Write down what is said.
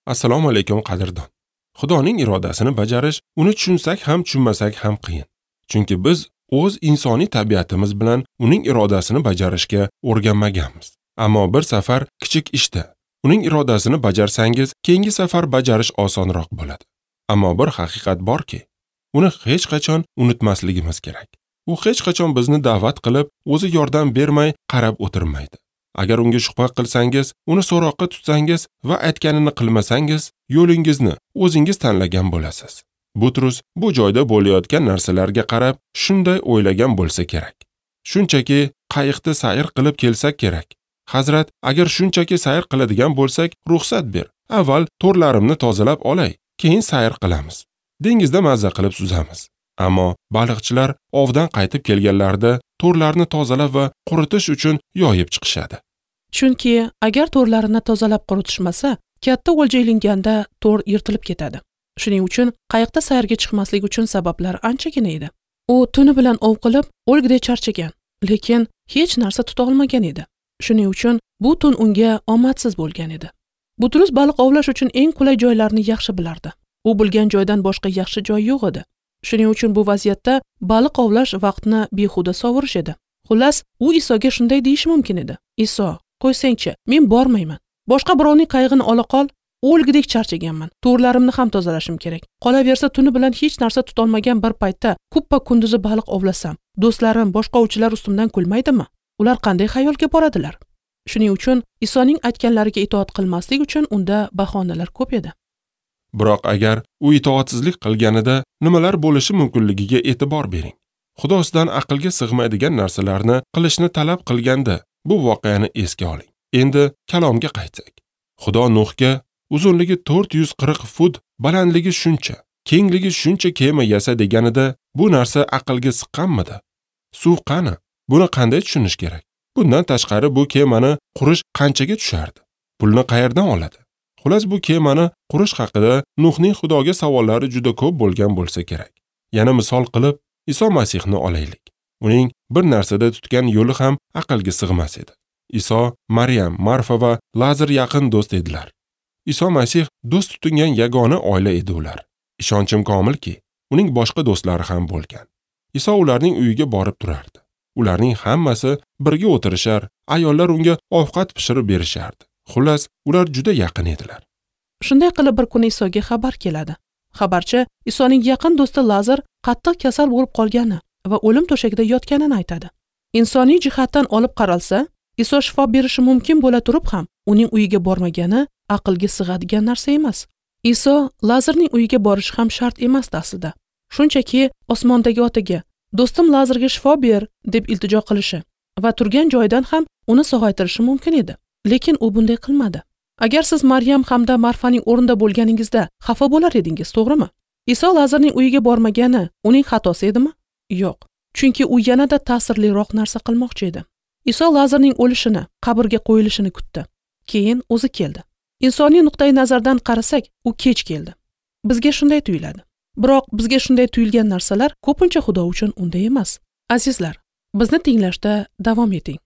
Assalomu alaykum qadrdon. Xudoning irodasini bajarish, uni tushunsak ham tushunmasak ham qiyin. Chunki biz o'z insoniy tabiatimiz bilan uning irodasini bajarishga o'rganmaganmiz. Ammo bir safar kichik ishda uning irodasini bajarsangiz, keyingi safar bajarish osonroq bo'ladi. Ammo bir haqiqat borki, uni hech qachon unutmasligimiz kerak. U hech qachon bizni da'vat qilib, o'zi yordam bermay qarab o'tirmaydi. Agar unga shubha qilsangiz, uni so'roqqa tutsangiz va aytganini qilmasangiz, yo'lingizni o'zingiz tanlagan bo'lasiz. Butrus bu joyda bo'layotgan narsalarga qarab shunday o'ylagan bo'lsa kerak. Shunchaki qayiqda sayr qilib kelsak kerak. Hazrat, agar shunchaki sayr qiladigan bo'lsak, ruxsat ber. Avval to'rlarimni tozalab olay, keyin sayr qilamiz. Dengizda mazza qilib suzamiz. Ammo baliqchilar ovdan qaytib kelganlarida to'rlarni tozalab va quritish uchun yoyib chiqishadi. Chunki agar to'rlarini tozalab quritishmasa, katta o'lja ilinganda to'r yirtilib ketadi. Shuning uchun qayiqda sayrga chiqmaslik uchun sabablar anchagina edi. U tuni bilan ov qilib, o'lgudek charchagan, lekin hech narsa tuta olmagan edi. Shuning uchun bu tun unga omadsiz bo'lgan edi. Butrus baliq ovlash uchun eng qulay joylarni yaxshi bilardi. U bilgan joydan boshqa yaxshi joy yo'q edi. Shuning uchun bu vaziyatda baliq ovlash vaqtni behuda sovurish edi. Xullas, u Isoga shunday deyishi mumkin edi: "Iso, qo'ysangchi, men bormayman. Boshqa birovning qayig'ini ola qol, o'lgudek charchaganman. To'rlarimni ham tozalashim kerak. Qolaversa tuni bilan hech narsa tutolmagan bir paytda kuppa kunduzi baliq ovlasam, do'stlarim, boshqa ovchilar ustimdan kulmaydimi? Ular qanday xayolga boradilar?" Shuning uchun Isoning aytganlariga itoat qilmaslik uchun unda bahonalar ko'p edi. Biroq agar u itoatsizlik qilganida nimalar bo'lishi mumkinligiga e'tibor bering. Xudo sizdan aqlga sig'maydigan narsalarni qilishni talab qilganda bu voqeani esga oling. Endi kalomga qaytsak. Xudo Nuhga uzunligi 440 fut, balandligi shuncha, kengligi shuncha kema yasa deganida bu narsa aqlga siqqanmidi? Suv qani? Buni qanday tushunish kerak? Bundan tashqari bu kemani qurish qanchaga tushardi? Pulni qayerdan oladi? Xullas, bu kemani qurish haqida Nuhning Xudoga savollari juda ko'p bo'lgan bo'lsa kerak. Yana misol qilib Iso Masihni olaylik. Uning bir narsada tutgan yo'li ham aqlga sig'mas edi. Iso, Maryam, Marfa va Lazar yaqin do'st edilar. Iso Masih do'st tutingan yagona oila edi ular. Ishonchim komilki, uning boshqa do'stlari ham bo'lgan. Iso ularning uyiga borib turardi. Ularning hammasi birga o'tirishar, ayollar unga ovqat pishirib berishardi. Xullas, ular juda yaqin edilar. Shunday qilib bir kuni Isoga xabar keladi. Xabarchi Isoning yaqin do'sti Lazar qattiq kasal bo'lib qolgani va o'lim to'shagida yotganini aytadi. Insoniy jihatdan olib qaralsa, Iso shifo berishi mumkin bo'la turib ham uning uyiga bormagani aqlga sig'adigan narsa emas. Iso Lazarning uyiga borishi ham shart emasdi aslida. Shunchaki osmondagi otaga "Do'stim Lazarga shifo ber" deb iltijo qilishi va turgan joyidan ham uni sog'aytirishi mumkin edi. Lekin u bunday qilmadi. Agar siz Maryam hamda Marfaning o'rnida bo'lganingizda xafa bo'lar edingiz, to'g'rimi? Iso Lazarning uyiga bormagani uning xatosi edimi? Yo'q. Chunki u yanada ta'sirliroq narsa qilmoqchi edi. Iso Lazarning o'lishini, qabrga qo'yilishini kutdi. Keyin o'zi keldi. Insoniy nuqtai nazardan qarasak, u kech keldi. Bizga shunday tuyuladi. Biroq bizga shunday tuyulgan narsalar ko'pincha Xudo uchun unday emas. Azizlar, bizni tinglashda davom eting.